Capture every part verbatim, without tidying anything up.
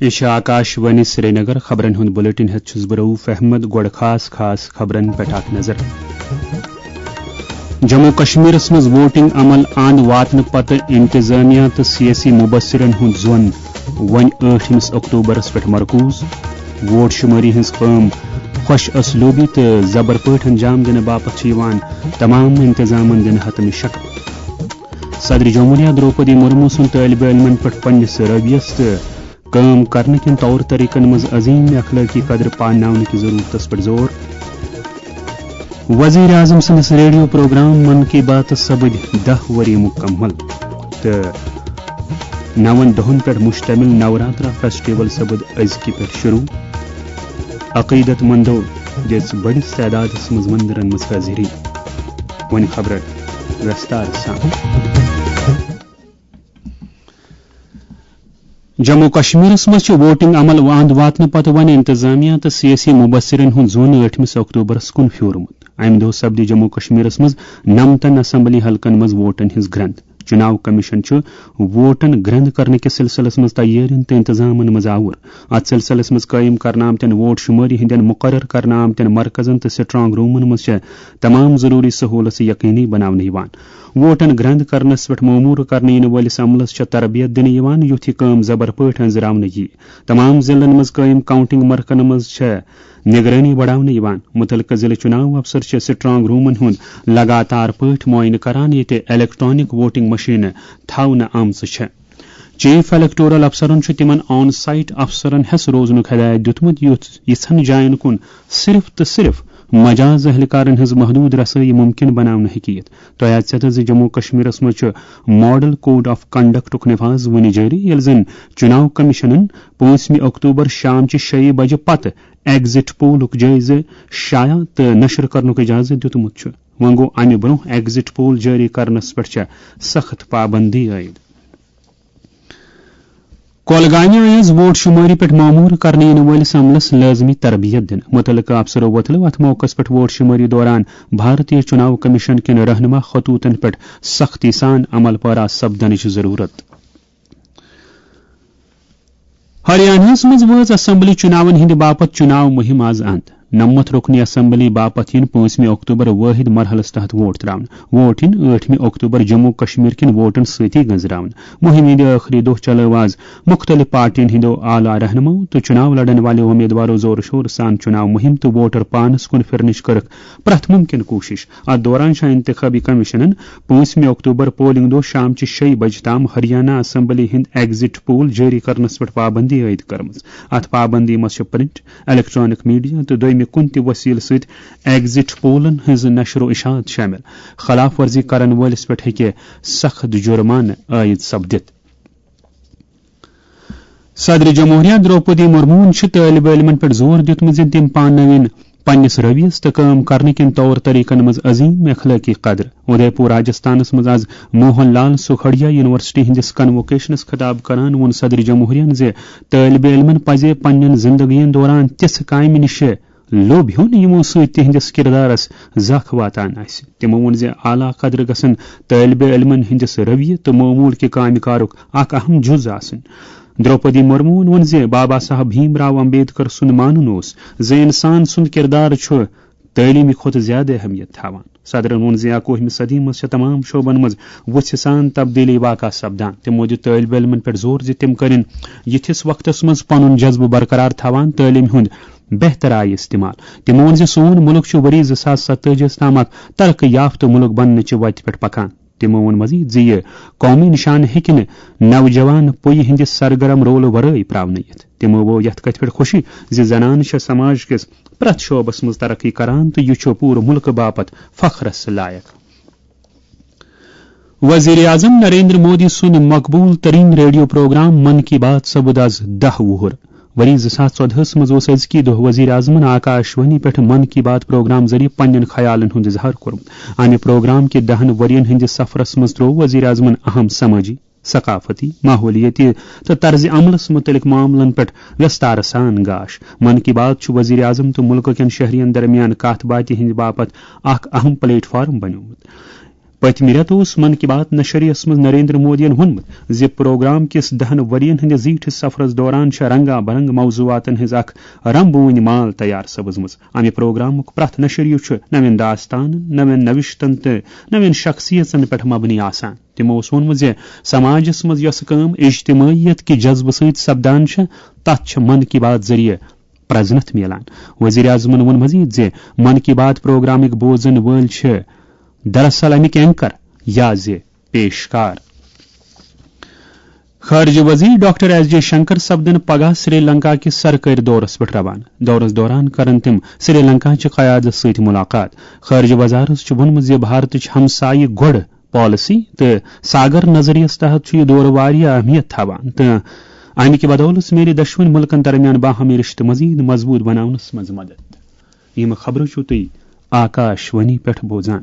یہِ چھِ آکاش وانی سرینگر۔ خبرن ہُنٛد بلیٹن ہٮ۪تھ چھُس بہٕ رؤف احمد۔ گۄڈٕ خاص خاص خبرن پٮ۪ٹھ اکھ نظر۔ جموں کشمیرس منٛز ووٹنگ عمل اند واتنہٕ پتہٕ انتظامیہ تہٕ سیٲسی مبصرن ہُنٛد ظۄن وۄنۍ ٲٹھمِس اکتوبرس پٮ۪ٹھ مرکوز۔ ووٹ شمٲری ہٕنٛز کٲم خۄش اسلوبی تہٕ زبر پٲٹھۍ انجام دِنہٕ باپتھ چھِ یِوان تمام انتظامن دِنہٕ حتمی شکل۔ صدر جمہوریہ درٛوپدی مرمو سُنٛد طٲلبہِ علمن پٮ۪ٹھ پننِس رویس تہٕ کٲم کرنہٕ کٮ۪ن طور طریقن منٛز عظیم اخلٲقی قدر پانناونہٕ کِس ضرورتس پٮ۪ٹھ زور۔ وزیر اعظم سٕنٛدِس ریڈیو پروگرام من کی باتس سپٕدۍ دَہ ؤری مکمل تہٕ نَوَن دۄہن پٮ۪ٹھ مشتمل نوراترا فیسٹیول سپٕد أزکہِ پٮ۪ٹھ شروع۔ عقیدت مندو دِژ بٔڑِس تعدادس منٛز مندرن منٛز حٲضری۔ وۄنۍ خبرن وستار سان۔ جموں کشمیرس منٛز چھُ ووٹنگ عمل اند واتنہٕ پتہٕ وۄنۍ انتظامیہ تہٕ سیٲسی مبصرن ہُنٛد ظۄن ٲٹھمِس اکتوبرس کُن پھیورمُت۔ امہِ دۄہ سپدِ جموں کشمیرس منٛز نَمتَن اسمبلی حلقن منٛز ووٹن ہٕنٛز گرٛنٛد۔ چُناو کمیشن چھُ ووٹن گرٛنٛد کرنہٕ کِس سلسلس منٛز تیٲرین تہٕ انتظامن منٛز آوُر۔ اتھ سلسلس منٛز قٲیِم کرنہٕ آمتٮ۪ن ووٹ شمٲری ہٕنٛدٮ۪ن مقرر کرنہٕ آمتٮ۪ن مرکزن تہٕ سٹرانگ رومن منٛز چھےٚ تمام ضروری سہولژٕ یقینی بناونہٕ یِوان۔ ووٹن گرٛنٛد کرنس پٮ۪ٹھ مامور کرنہٕ یِنہٕ وٲلِس عملس چھےٚ تربیت دِنہٕ یِوان، یُتھ یہِ کٲم زبر پٲٹھۍ أنٛزراونہٕ یِیہِ۔ تمام ضلعن منٛز قٲیِم کاؤنٹنگ مرکزن منٛز چھےٚ نگرٲنی بڑاونہٕ یِوان۔ مُتعلقہٕ ضلعہٕ چُناو افسر چھِ سٹرانگ رومن ہُنٛد لگاتار پٲٹھۍ معائنہٕ کران، ییٚتہِ الیکٹرانک ووٹنگ مشینہٕ تھاونہٕ آمژٕ چھےٚ۔ چیف الیکٹورل افسرن چھُ تِمن آن سائٹ افسرن ہٮ۪س روزنُک ہدایت دِیُتمُت، یُتھ یِژھن جاین کُن صرف تہٕ صرف مجاز اہلکارن ہٕنٛز محدود رسٲیی ممکن بناونہٕ ہیٚکہِ یِتھ۔ تۄہہِ آسہِ پتہ زِ جموں کشمیرس منٛز چھُ ماڈل کوڈ آف کنڈکٹُک نفاذ وُنہِ جٲری، ییٚلہِ زن چُناو کمیشنن پانٛژمہِ اکتوبر شامچہِ شیٚیہِ بجہِ پتہٕ ایگزٹ پولُک جٲیزٕ شایع تہٕ نشر کرنُک اجازت دِیُتمُت چھُ۔ وۄنۍ گوٚو، امہِ برونٛہہ ایگزٹ پول جٲری کرنس پٮ۪ٹھ چھےٚ سخت پابندی عائد۔ کۄلگامہِ آیس ووٹ شمٲری پٮ۪ٹھ مامور کرنہٕ یِنہٕ وٲلِس عملس لٲزمی تربیت دِنہٕ۔ مُتعلقہٕ افسرو وۄتلٲو اتھ موقعس پٮ۪ٹھ ووٹ شمٲری دوران بھارتیہ چُناو کمیشن کٮ۪ن رہنما خطوطن پٮ۪ٹھ سختی سان عمل پیرا سپدنٕچ ضرورت۔ ہریاناہس منٛز وٲژ اسمبلی چُناون ہٕنٛدِ باپتھ چُناو مُہِم آز اند۔ نَمَتھ رُکنی اسمبلی باپتھ یِن پانٛژمہِ اکتوبر وٲحد مرحلس تحت ووٹ تراونہٕ۔ ووٹ یِن ٲٹھمہِ اکتوبر جموں کشمیر کٮ۪ن ووٹن سۭتی گنزراونہٕ۔ مُہِم ہٕنٛدِ ٲخری دۄہ چلٲو آز مُختٔلِف پارٹین ہٕنٛدیو اعلیٰ رہنماو تہٕ چُناو لڑن والٮ۪و اُمیدوارو زورٕ شورٕ سان چُناو مُہِم تہٕ ووٹر پانس کُن پھِرنٕچ کٔرٕکھ پرٛٮ۪تھ مُمکِن کوٗشِش۔ اتھ دوران چھےٚ انتخابی کمیشنن پانٛژمہِ اکتوبر پولنگ دۄہ شامچہِ شیٚیہِ بجہِ تام ہریانہ اسمبلی ہٕنٛدۍ ایگزٹ پول جٲری کرنس پٮ۪ٹھ پابندی عائد کٔرمٕژ۔ اتھ پابندی منٛز چھِ پرنٹ، الیکٹرانک میڈیا تہٕ دوٚیمہِ کُنہِ تہِ وسیلہٕ سۭتۍ ایگزٹ پولن ہٕنٛز نشر و اشاعت شٲمِل۔ خلاف ورزی کرن وٲلِس پٮ۪ٹھ ہیٚکہِ سخت جرمانہٕ عائد سپدِتھ۔ صدر جمہوریہ درٛوپدی مرموہن چھُ طٲلبہِ علمن پٮ۪ٹھ زور دیُتمُت زِ تِم پاننٲوِن پننِس رویس تہٕ کٲم کرنہٕ کٮ۪ن طور طریقن منٛز عظیم اخلٲقی قدر۔ اُدے پور راجستھانس منٛز آز موہن لال سکھڑیا یونیورسٹی ہٕنٛدِس کنووکیشنس خطاب کران ووٚن صدر جمہوریہن زِ طٲلبہِ علمن پزِ پننٮ۪ن زندگین دوران تِژھٕ کامہِ نِش لوٚب ہیوٚن، یِمو سۭتۍ تِہنٛدِس کردارس زکھ واتان آسہِ۔ تِمو ووٚن زِ اعلیٰ قدر گژھن طٲلبہِ علمن ہٕنٛدِس رویہِ تہٕ معمول کہِ کامہِ کارُک اکھ اہم جُز آسٕنۍ۔ درٛوپدی مرموہن ووٚن زِ بابا صاحب بھیم راو امبیڈکر سُنٛد مانُن اوس زِ انسان سُنٛد کردار چھُ تعلیٖمہِ کھۄتہٕ زیادٕ اہمیت تھاوان۔ صدرن ووٚن زِ اکوُہمہِ صدی منٛز چھےٚ تمام شعبن منٛز وُژھِ سان تبدیلی واقع سپدان۔ تِمو دِیُت طٲلبہِ علمن پٮ۪ٹھ زور زِ تِم کرن یِتھِس وقتس منٛز پنُن جذبہٕ برقرار تھاوان تعلیٖم ہُنٛد بہتر آیہِ استعمال۔ تِمو ووٚن زِ سون مُلک چھُ ؤری زٕ ساس ستٲجی ہَس تام اکھ ترقی یافتہٕ مُلک بننہٕ چہِ وتہِ پٮ۪ٹھ پکان۔ تِمو ووٚن مزید زِ یہِ قومی نشانہٕ ہیٚکہِ نہٕ نوجوان پُیہِ ہٕنٛدِ سرگرم رولہٕ ورٲے پراونہٕ یِتھ۔ تِمو ووٚو یتھ کتھِ پٮ۪ٹھ خوشی زِ زنانہٕ چھےٚ سماج کِس پرٛٮ۪تھ شعبس منٛز ترقی کران تہٕ یہِ چھُ پوٗرٕ مُلکہٕ باپتھ فخرس لایق۔ وزیر اعظم نریندر مودی سُنٛد مقبول ترین ریڈیو پروگرام من کی بات سپُد آز دَہ وُہُر۔ ؤری زٕ ساس ژۄدہَس منٛز اوس أزکی دۄہ وزیر اعظمن آکاش وانی پٮ۪ٹھ من کی بات پروگرام ذٔریعہٕ پننٮ۪ن خیالن ہُنٛد اظہار کوٚرمُت۔ امہِ پروگرام کہِ دَہَن ؤرین ہٕنٛدِس سفرس منٛز تروو وزیر اعظمن اہم سمٲجی، ثقافتی، ماحولیٲتی تہٕ طرز عملس مُتعلق معاملن پٮ۪ٹھ وستارٕ سان گاش۔ من کی بات چھُ وزیر اعظم تہٕ مُلکہٕ کٮ۪ن شہرین درمیان کتھ باتھِ ہٕنٛدِ باپتھ اکھ اہم پلیٹ فارم بنیومُت۔ پٔتمہِ رٮ۪تہٕ اوس من کی بات نشریس منٛز نریندر مودیَن ووٚنمُت زِ پروگرام کِس دَہَن ؤرین ہٕنٛدِس زیٖٹھِس سفرس دوران چھےٚ رنگا برنگ موضوعاتن ہٕنٛز اکھ رنبوٕنۍ مال تیار سپٕزمٕژ۔ امہِ پروگرامُک پرٛٮ۪تھ نشریہِ چھُ نوٮ۪ن داستانن، نوٮ۪ن نوشتن تہٕ نوٮ۪ن شخصیژن پٮ۪ٹھ مبنی آسان۔ تِمو اوس ووٚنمُت زِ سماجس منٛز یۄسہٕ کٲم اجتماعیت کہِ جذبہٕ سۭتۍ سپدان چھےٚ، تتھ چھےٚ من کی بات ذٔریعہٕ پرزنتھ میلان۔ وزیر اعظمن ووٚن مزید زِ من کی بات پروگرامٕکۍ بوزن وٲلۍ چھِ دراصل امیِکۍ اینکر یا زِ پیشکار۔ خارجہ وزیر ڈاکٹر ایس جے شنکر سپدن پگاہ سری لنکا کِس سرکٲرۍ دورس پٮ۪ٹھ روانہٕ۔ دورس دوران کرن تِم سری لنکا چہِ قیادت سۭتۍ ملاقات۔ خارجہ وزارت چھُ ووٚنمُت زِ بھارتٕچ ہمسایہِ گۄڈٕ پالیسی تہٕ ساگر نظریس تحت چھُ یہِ دورٕ واریاہ اہمیت تھاوان تہٕ امہِ کہِ بدولہٕ میلہِ دۄشوٕنۍ مُلکن درمیان باہمی رشتہٕ مزید مضبوط بناونس منٛز مدد۔ یِم خبرٕ چھِو تُہۍ آکاش وانی پٮ۪ٹھ بوزان۔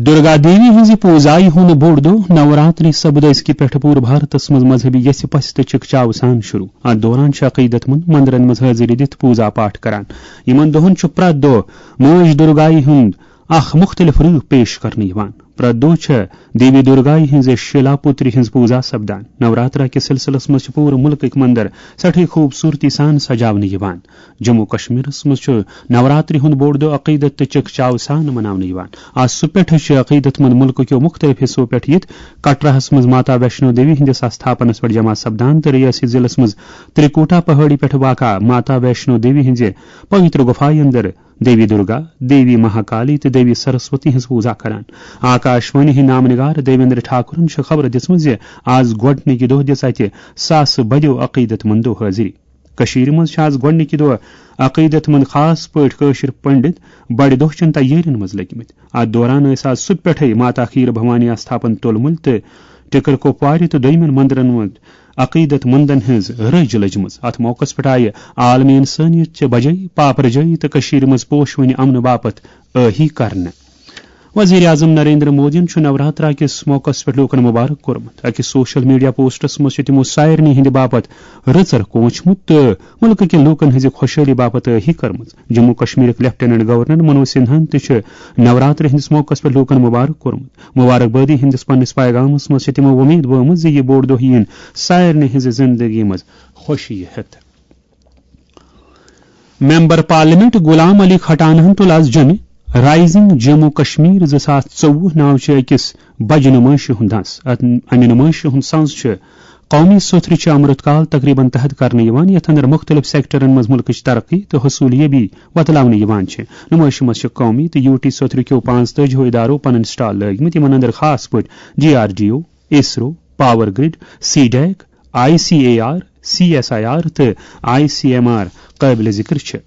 درگا دیوی ہٕنٛزِ پوٗزایہِ ہُنٛد بوٚڑ دۄہ نوراتری سپُد أزکہِ پٮ۪ٹھٕ پوٗرٕ بھارتس منٛز مذہبی یژھِ پژھِ تہٕ چِکچاو سان شروع۔ اتھ دوران چھِ عقیدت مند مندرن منٛز حٲضری دِتھ پوٗزا پاٹھ کران۔ یِمن دۄہن چھُ پرٛٮ۪تھ دۄہ مٲج درگایہِ ہُنٛد اکھ مُختٔلِف روٗپ پیش کرنہٕ یِوان۔ پرٛٮ۪تھ دۄہ چھےٚ دیوی درگایہِ ہٕنٛزِ شیلا پُتری ہٕنٛز پوٗزا سپدان۔ نوراترا کِس سلسلس منٛز چھِ پوٗرٕ مُلکٕکۍ مندر سٮ۪ٹھٕے خوٗبصوٗرتی سان سجاونہٕ یِوان۔ جموں کشمیرس منٛز چھُ نوراتری ہُنٛد بوٚڑ دۄہ عقیدت تہٕ چِکچاو سان مناونہٕ یِوان۔ آز صُبح پٮ۪ٹھٕ چھِ عقیدت مند مُلکہٕ کیو مُختٔلِف حصو پٮ۪ٹھ یِتھ کٹراہس منٛز ماتا ویشنو دیوی ہٕنٛدِس آستھاپنس پٮ۪ٹھ جمع سپدان تہٕ ریٲسی ضلعس منٛز ترٛکوٹا پہٲڑی پٮ۪ٹھ واقع ماتا ویشنو دیوی ہٕنٛزِ پویتر گُفایہِ اندر دیوی درگا، دیوی مہاکالی تہٕ دیوی سرسوتی ہٕنٛز پوٗزا کران۔ آکاش وانی ہٕنٛدۍ نامہٕ نگار دیویندر ٹھاکرن چھِ خبر دِژمٕژ زِ آز گۄڈٕنِکہِ دۄہ دِژ اتہِ ساسہٕ بٔدیو عقیدت مندو حٲضری۔ کٔشیٖرِ منٛز چھِ آز گۄڈٕنِکہِ دۄہ عقیدت مند خاص پٲٹھۍ کٲشِر پنڈت بڑِ دۄہ چٮ۪ن تیٲرین منٛز لٔگۍ مٕتۍ۔ اتھ دوران ٲسۍ آز صُبح پٮ۪ٹھے ماتا کھیٖر بھوانی آستھاپن تُلمُلۍ تہٕ ٹِکر کۄپوارِ تہٕ دوٚیمٮ۪ن مندرن منٛز عقیدت مندن ہٕنٛز رٔج لٔجمٕژ۔ اتھ موقعس پٮ۪ٹھ آیہِ عالمی انسٲنیت چہِ بجٲے پاپرجٲیی تہٕ کٔشیٖرِ منٛز پوشوٕنہِ امنہٕ باپتھ ٲہی کرنہٕ۔ وزیر اعظم نریندر مودیَن چھُ نوراترا کِس موقعس پٮ۪ٹھ لوٗکَن مبارک کوٚرمُت۔ أکِس سوشل میڈیا پوسٹس منٛز چھِ تِمو سارنٕے ہٕنٛدِ باپتھ رٕژر کوٗنچمُت تہٕ مُلکہٕ کہِ لوٗکَن ہٕنٛزِ خۄشحٲلی باپتھ ٲہی کٔرمٕژ۔ جموں کشمیرٕکۍ لیفٹیننٹ گورنر منوج سنہاہَن تہِ چھُ نوراترِ ہٕنٛدِس موقعس پٮ۪ٹھ لوٗکَن مبارک کوٚرمُت۔ مبارک بٲدی ہٕنٛدِس پننِس پیغامس منٛز چھِ تِمو وۄمید ؤومٕژ زِ یہِ بوٚڑ دۄہ یِیِن سارنٕے ہٕنٛزِ زندگی منٛز خوشی ہٮ۪تھ۔ ممبر پارلیمنٹ غلام علی کھٹانہن تُل آز جمہِ رائزنگ جموں کشمیر زٕ ساس ژوٚوُہ ناوچہِ أکِس بجہِ نُمٲیشہِ ہُنٛد دَس۔ اتھ، امہِ نُمٲیشہِ ہُنٛد سنز چھُ قومی سوتھرِ چہِ امرت کال تقریبن تحت کرنہٕ یِوان، یتھ اندر مُختٔلِف سیکٹرن منٛز مُلکٕچ ترقی تہٕ حصوٗلیٲبی وۄتلاونہٕ یِوان چھِ۔ نُمٲیشہِ منٛز چھِ قومی تہٕ یوٗ ٹی سوتھرِ کیو پانٛژتٲجی ادارو پنٕنۍ سٹال لٲگۍ مٕتۍ، یِمن اندر خاص پٲٹھۍ D R D O, ISRO, power grid, C DAC, I C A R, C S I R تہٕ آئی سی ایم آر قٲبلِ ذِکر چھِ۔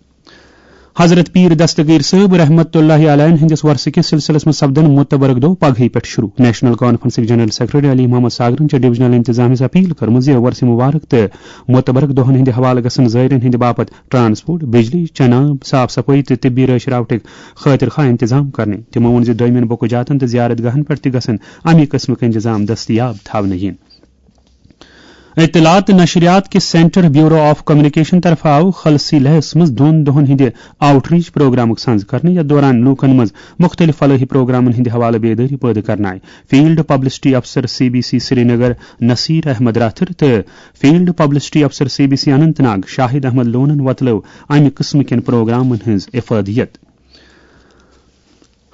حضرت پیٖر دستگیٖر صٲب رحمت اللہ علیہ ہٕنٛدِس ورثہٕ کِس سلسلس منٛز سپدن متبرک دۄہ پگہٕے پٮ۪ٹھ شروع۔ نیشنل کانفرنسٕکۍ جنرل سیکرٹری علی محمد ساگرن چھےٚ ڈویژنل انتظامیہ ہس اپیل کٔرمٕژ زِ ورثہٕ مبارک تہٕ متبرک دۄہن ہٕنٛدِ حوالہٕ گژھن زٲیرن ہٕنٛدِ باپتھ ٹرانسپورٹ، بجلی، چنہٕ آب، صاف صفٲیی تہٕ طبی رٲچھ راوٹھٕکۍ خٲطرٕ خواہ انتظام کرنہٕ۔ تِمو ووٚن زِ دٲمین بُقہٕ جاتن تہٕ زیارت گاہن پٮ۪ٹھ تہِ گژھن امی قٕسمٕکۍ انتظام دستیاب تھاونہٕ یِنۍ۔ اطلاعات تہٕ نشریات کِس سینٹر بیورو آف کمیونیکیشن طرفہٕ آو خلسی لیہس منٛز دۄن دۄہن ہٕنٛدِ آؤٹ ریچ پروگرامُک سنز کرنہٕ، یتھ دوران لوٗکن منٛز مُختٔلِف فلٲحی پروگرامن ہٕنٛدِ حوالہٕ بیدٲری پٲدٕ کرنہٕ آیہِ۔ فیلڈ پبلسٹی افسر C B C Srinagar Nasir Ahmad Rather تہٕ فیلڈ پبلسٹی افسر C B C Anantnag Shahid Ahmad لونن وۄتلٲو امہِ قٕسمہٕ کٮ۪ن پروگرامن ہٕنٛز افادیت۔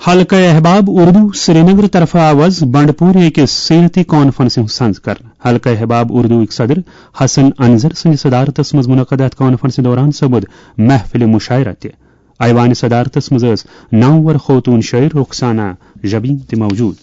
حلقہ احباب اردو سرینگر طرفہٕ آو از بنڈپور أکِس سیرتی کانفرنسہِ ہُنٛد سنز کرنہٕ۔ حلقہ احباب اردوٕکۍ صدر حسن انظر سٕنٛدِ صدارتس منٛز منعقد اتھ کانفرنسہِ دوران سپُد محفل مشاعرہ تہِ۔ ایوانِ صدارتس منٛز ٲس نامور خوتون شٲعر رخسانہ جبین تہِ موجود۔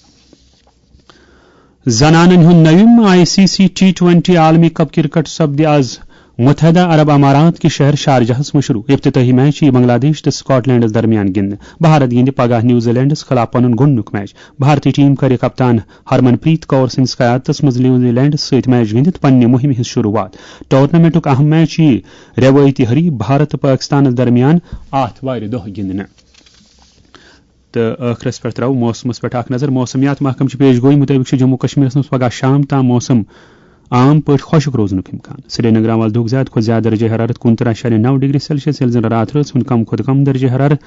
زنانن ہُنٛد نوِم I C C T twenty عالمی کپ کرکٹ سپدِ از متحدہ عرب امارات کہِ شہر شارجہس منٛز شروع۔ افتتاحی میچ یِیہِ بنگلہ دیش تہٕ سکاٹ لینڈس درمیان گِنٛدنہٕ۔ بھارت گِنٛدِ پگاہ نیوزی لینڈس خلاف پنُن گۄڈٕنیُک میچ۔ بھارتی ٹیم کرِ کپتان ہرمن پریت کور سٕنٛدِس قیادتس منٛز نیوزی لینڈس سۭتۍ میچ گِنٛدِتھ پننہِ مُہِمہِ ہٕنٛز شروعات۔ ٹورنامنٹُک اہم میچ یِیہِ روایتی حریف بھارت تہٕ پٲکستانس درمیان آتھوارِ دۄہ گِنٛدنہٕ۔ تہٕ ٲخرس پٮ۪ٹھ ترٛاوو موسمس پٮ۪ٹھ اکھ نظر۔ موسمیات محکمہٕ چہِ پیش گویی مُطٲبِق چھُ جموں کشمیرس منٛز پگاہ شام تام موسم عام پٲٹھۍ خۄشک روزنُک امکان۔ سرینگر آو از دُہُک زیادٕ کھۄتہٕ زیادٕ درجہ حرارت کُنترٕہ اعشاریہ نَو ڈگری سیلسیس، ییٚلہِ زن راتھ رٲژ ہُنٛد کم کھۄتہٕ کم درجہ حرارت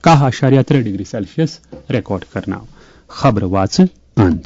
کاہ اعشاریہ ترٛےٚ ڈگری سیلسیس ریکارڈ کرنہٕ آو۔ خبرٕ واژٕ اند۔